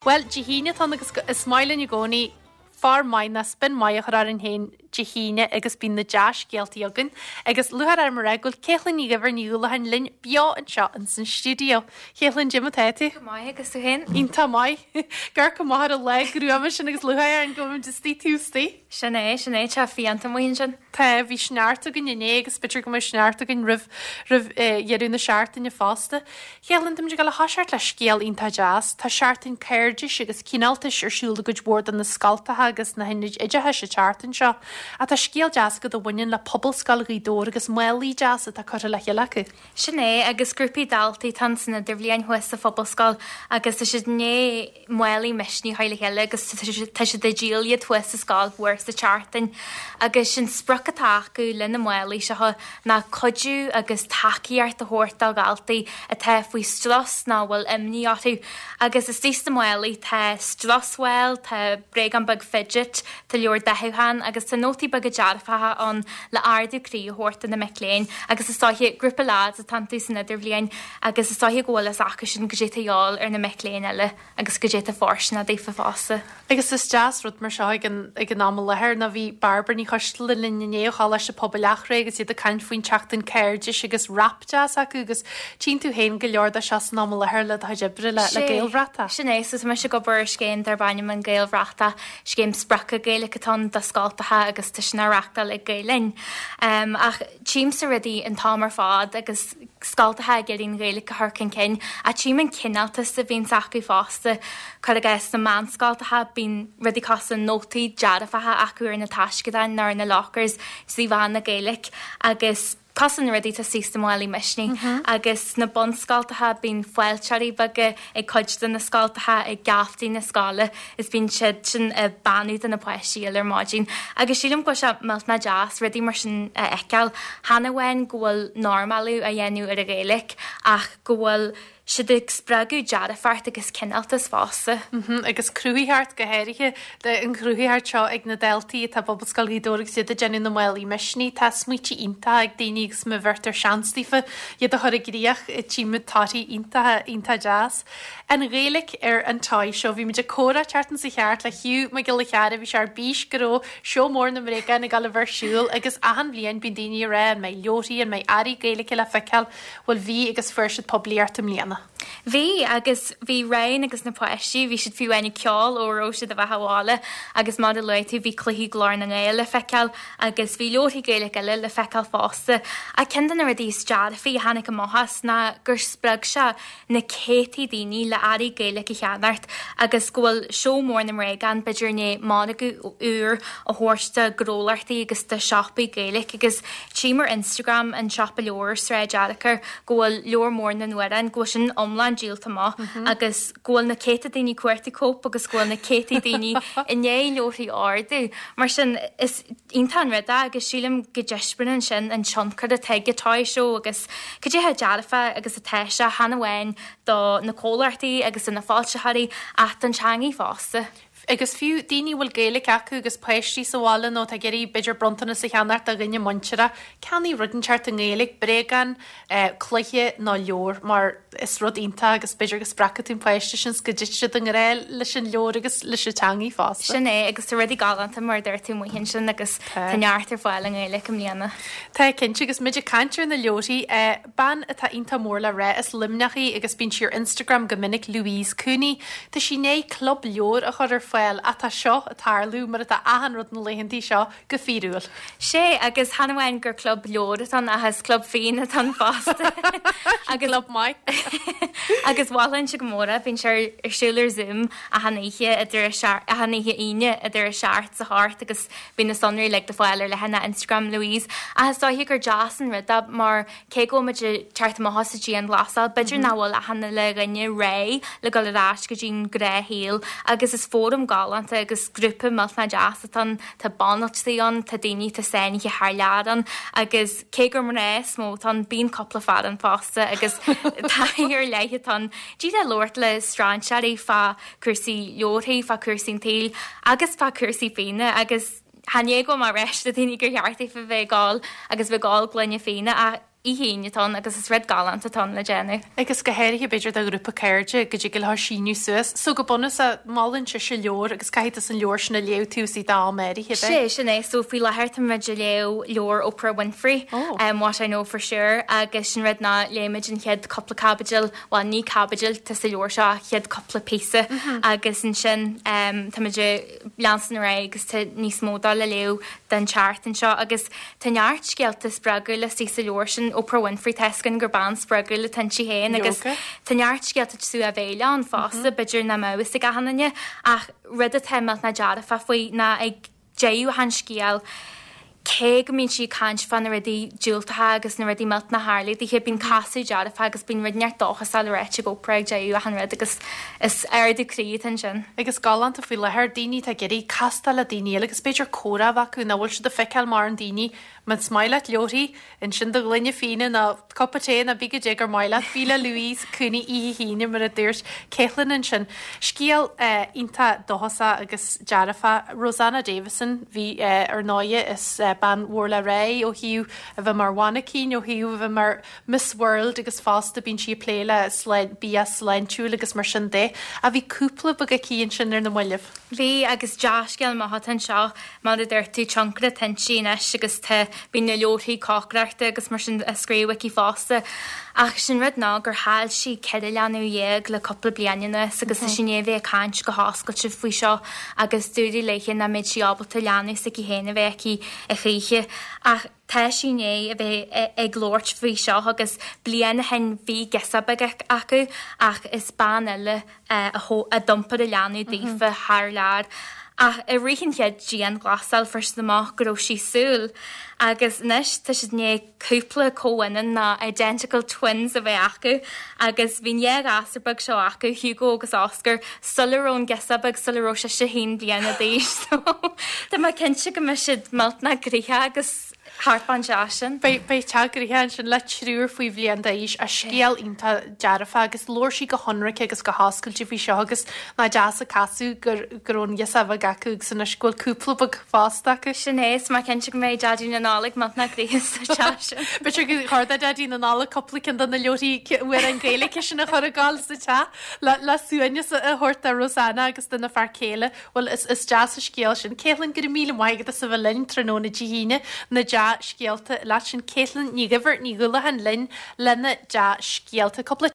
Bhuel, Dé hAoine atá ann agus is maith linn i gcónaí fear maith nó spin maith a chur orainn féin Dé hAoine agus bíonn na dea-scéaltaí againn. Agus lúcháir orm a rá go bhfuil Caitlín Ní Dhuibhir Ní Uallacháin linn beo anseo ins an stiúideo. Caitlín, goidé mar atá tú? Go maith, agus tú féin? Iontach maith. Ag amharc amach ar an lá gruama sin agus lúcháir orainn go bhfuil muid istigh taobh istigh. Sin é, sin é, tá fiánta amuigh ansin. Tá, bhí sneachta againn inné agus b'fhéidir go mbeidh sneachta againn roimh roimh dheireadh na seachtaine fosta. Caitlín, táimid ag dul a thoiseacht le scéal iontach deas. Tá seachtain cairdis agus cineáltais ar siúl i gcuid mhór de na scoltacha agus na hionaid oideachais an tseachtain seo. Ach tá scéal deas agat a bhaineann le Pobalscoil Ghaoth Dobhair agus málaí deasa atá curtha le chéile acu. Sin é, agus grúpaí daltaí atá ann san idirbhliain thuas sa Phobalscoil agus tá siad i ndiaidh málaí misnigh a chur le chéile agus tá siad ag díol iad thuas sa scoil mhór sa tseachtain agus sé'n sprioc atá acu le na málaí seo ná cuidiú agus tacaíocht a thabhairt do dhaltaí atá faoi strus nó a bhfuil imní orthu agus istigh sna málaí tá stress ball, tá bréagán beag fidget, tá leabhar dathúcháin agus tá nótaí beaga dearfacha ann le ardú croí a thabhairt do na mic léinn agus is dóiche grúpa leaids atá iontu san idirbhliain Agus is dóiche go bhfuil fhios acu sin goidé tá a dhíobháil ar na mic léinn eile agus goidé tá fóirsteanach daofa fosta. Agus is deas rud mar seo ag an ag an am i láthair nó bhí Bairbre Ní Choisteala linn inné ó Choláiste Pobail Eachréidh agus iad ag caint faoin tseachtain cairdis agus wrap deas acu agus tchíonn tú féin go leor de seo san am i láthair le do chuid oibre le le Gaelbhratach. Sin é, so tá mise ag obair ar scéim darb ainm an Gaelbhratach, scéim sprioctha Gaeilge atá ann do scoltacha agus tá sin á reachtáil ag Gael Linn. Ach tchímse rudaí an t-am ar fad agus scoltacha ag iarraidh an Ghaeilge a chur chun cinn, ach tchím an cineáltas a bhíonns acu fosta. Cuir i gcás, sna meánscoltacha, bíonn rudaí cosúil le nótaí dearfacha acu ar na taisceadáin nó ar na lockers is íomhá na Gaeilge agus cosúil na rudaí atá istigh sna málaí misnigh. Agus sna bunscoltacha, bíonn fáilteoirí beaga ag cuid de na scoltacha ag geaftaí na scoile is bíonn siad sin ag beannú do na páistí uile ar maidin agus sílim go bhfuil sé millteanach deas rudaí mar sin a fheiceáil. Chan amháin go bhfuil normalú á dhéanamh ar an Ghaeilge ach go bhfuil siad ag spreagadh dearfacht agus cineáltas fosta. Agus cruthaitheacht go háirithe, an chruthaitheacht seo ag na daltaí atá i bPobalscoil Ghaoth Dobhair agus iad ag déanamh na málaí misnigh. Tá smaointe iontacha ag daoine agus má bheirtear seans daofa iad a chur i gcríoch, tchímid torthaí iontacha, iontach deas. An Ghaeilge ar an Toy Show. Bhí muid ag comhrá an tseachtain seo chuaigh thart le Hugh Mac Giolla Chearra, bhí sé ar bís go raibh seó mór na mbréagán ag dul a bheith ar siúl agus achan bhliain bíonn daoine ag rá an mbeidh leabharthaí, an mbeidh earraí Gaeilge le feiceáil, bhuel bhí agus fuair siad poiblíocht i mbliana. Bhí, agus bhí Ryan agus na páistí, bhí siad fiú amháin ag ceol ó a raibh siad a bheith abhaile agus mar a luaigh tú bhí cluichí Glór na nGael le feiceáil agus bhí leabharthaí Gaeilge eile le feiceáil fosta. Ach ceann de na rudaí is dearfaí a tháinig amach as ná gur spreag sé na céadtaí daoine le earraí Gaeilge a cheannacht agus go bhfuil seó mór na mbréagán b'fhéidir i ndiaidh margadh úr a thabhairt do ghnólachtaí agus do shiopaí Gaeilge agus tchím ar Instagram an siopa leabhar ar Sráid Fhearchair go bhfuil leabhar mór na n-amhrán go bhfuil sin iomlán díolta amach agus go bhfuil na céadta daoine ag cuartú cóip agus go bhfuil na céadtaí daoine i ndiaidh leabharthaí a ordú. Mar sin is iontach an rud é agus sílim go dtaispeánann sin an tionchar atá ag an Toy Show agus cad é chomh dearfach agus atá sé, chan amháin do na comhlachtaí agus do na foilsitheoirí ach don teangaidh fosta. Agus fiú daoine a bhfuil Gaeilge acu agus páistí sa bhaile nó atá ag iarraidh b'fhéidir bronntanas a cheannacht do dhuine muinteartha, ceannaigh rud inteacht i nGaeilge, bréagán, cluiche nó leabhar mar is rud iontach agus b'fhéidir go spreagfaidh tú an páiste sin 's go dtitfidh siad i ngrá leis an leabhar agus leis an teangaidh fosta. Sin é, agus tá rudaí galánta mar a dúirt tú amuigh ansin agus tá neart ar fáil i nGaeilge i mbliana. Tá, cinnte, agus muid ag caint ar na leabharthaí, bean atá iontach mór le rá, as Luimneach í agus bíonn sí ar Instagram go minic, Louise Cooney. Tá sí i ndiaidh club leabhar a chur ar fáil ach tá seo ag tarlú mar atá achan rud na laethantaí seo, go fíorúil. Sé, agus chan amháin gur club leabhar atá ann ach is club fíon atá ann fosta. Agus club maith. Agus mholfainnse go mór é, bíonn sé ar siúl ar Zoom achan oíche idir a seacht, achan oíche Aoine idir a seacht 's a hocht agus bíonn na sonraí uilig le fáil ar leathanach Instagram Louise. Ach is dóiche gur deas an rud é mar Cé go bhfuil muid ag teacht amach as an dianghlasáil, b'fhéidir nach bhfuil achan uile dhuine réidh le dul ar ais go dtí'n gnáthshaol agus is fóram galánta agus grúpa millteanach deas atá ann, tá banaltraí ann, tá daoine atá sáinnithe thar lear ann agus cé gur mná is mó atá ann, bíonn cúpla fear ann fosta agus taithí ar leith atá ann. Díreach labhairt le strainséirí fá chúrsaí leabharthaí, fá chúrsaí an tsaoil agus fá chúrsaí fíona agus. Chan é go bhfuil mé ag ráit le daoine gur cheart daofa bheith ag ól agus bheith ag ól gloine fíona ach. Oíche Aoine atá ann agus is rud galánta atá ann le déanamh. Agus go háirithe b'fhéidir do ghrúpa cairde go dtig leo síniú suas. So go bunúsach molann sise leabhar agus caithfidh tusa an leabhar sin a léamh taobh istigh d'am áirithe, ab ea? Sé, sin é. So faoi láthair tá muid ag léamh leabhar Oprah Winfrey, What I Know For Sure agus sin rud ná léigh muid an chéad cúpla caibidil, bhuel ní caibidil atá sa leabhar seo ach chéad cúpla píosa agus ansin tá muid ag leanstan ar aghaidh agus tá níos mó dó le léamh don tseachtain seo agus tá neart scéalta spreagúla istigh sa leabhar sin, Oprah Winfrey, tá fhios againn gur bean spreagúil atá inti féin agus tá neart scéalta cosúil le béile ann fosta, b'fhéidir nach mbeadh fhios ag achan duine ach rud atá millteanach dearfach faoi ná ag deireadh an scéil cé go mbíonn sí ag caint fá na rudaí diúltacha agus na rudaí millteanacha a tharlaigh daoithe, bíonn casadh dearfach agus bíonn rud inteacht dóchasach le ráite ag Oprah ag deireadh achan rud agus is ardú croí atá ansin. Agus galánta faoi láthair, daoine atá ag iarraidh castáil le daoine eile agus b'fhéidir comhrá a bheith acu nach bhfuil siad ag feiceáil mórán daoine, más maith leat leabharthaí, Ansin do ghloine fíona nó cupa tae nó pé goidé gur maith leat. Bí le Louise Cooney oíche hAoine mar a dúirt Caitlin ansin. Scéal iontach dóchasach agus dearfach. Rosanna Davison, bhí ar ndóighe is bean mhór le rá í ó thaobh a bheith mar mhainicín, ó thaobh a bheith mar Miss World agus fosta bíonn sí ag plé le bia sláintiúil agus mar sin de. Ach bhí cúpla beag aici ansin ar na mallaibh. Bhí agus dea-scéal maith atá anseo. Mar a dúirt tú, tionchar atá inti anois agus tá, bíonn na leabharthaí cócaireachta agus mar sin á scríobh aici fosta. Ach sin rud ná gur chaill sí 14 leanbh le cúpla bliain anuas agus tá sí i ndiaidh a bheith ag caint go hoscailte faoi seo agus dúradh léithe nach mbeadh sí ábalta leanbh s'aici féin a bheith aici a choíche. Ach tá sí i ndiaidh a bheith ag labhairt faoi seo agus bliain ó shin bhí girseach beag acu ach is bean eile a d'iompair an leanbh daofa thar lear. Ach i rith an chéad dianghlasáil fuair siad amach go raibh sí súil agus anois tá siad i ndiaidh cúpla comhionann nó identical twins a bheith acu agus bhí an dhá ghasúr beag seo acu, Hugo agus Oscar, sula raibh an girseach beag, sula raibh sise haon bliana d'aois so tá mé cinnte go mbeidh siad millteanach gnoitheach agus thart fán teach sin. Beidh teach gnoitheach ansin le triúr faoi bhliain d'aois, a scéal iontach dearfach agus labhair sí go hionraic agus go hoscailte faoi seo agus nach deas an casadh gur go raibh an ghirseach bheag acu agus anois go bhfuil cúpla beag fosta acu. Sin é, is mé cinnte go mbeidh Daidí na Nollag millteanach gnoitheach sa teach sin. B'fhéidir gur chóir do Daidí na Nollag cúpla ceann de na leabharthaí amhrán Gaeilge sin a chur ag gabháil sa teach le le suaimhneas a thabhairt do Rosanna agus dona fear céile. Bhuel, is is deas an scéal sin. Caitlin, go raibh míle maith agat as a bheith linn tráthnóna Dé hAoine, na dea-scéalta leat sin. Caitlin Ní Dhuibhir, Ní Dhúlacháin linn lena dea-scéalta. Cúpla.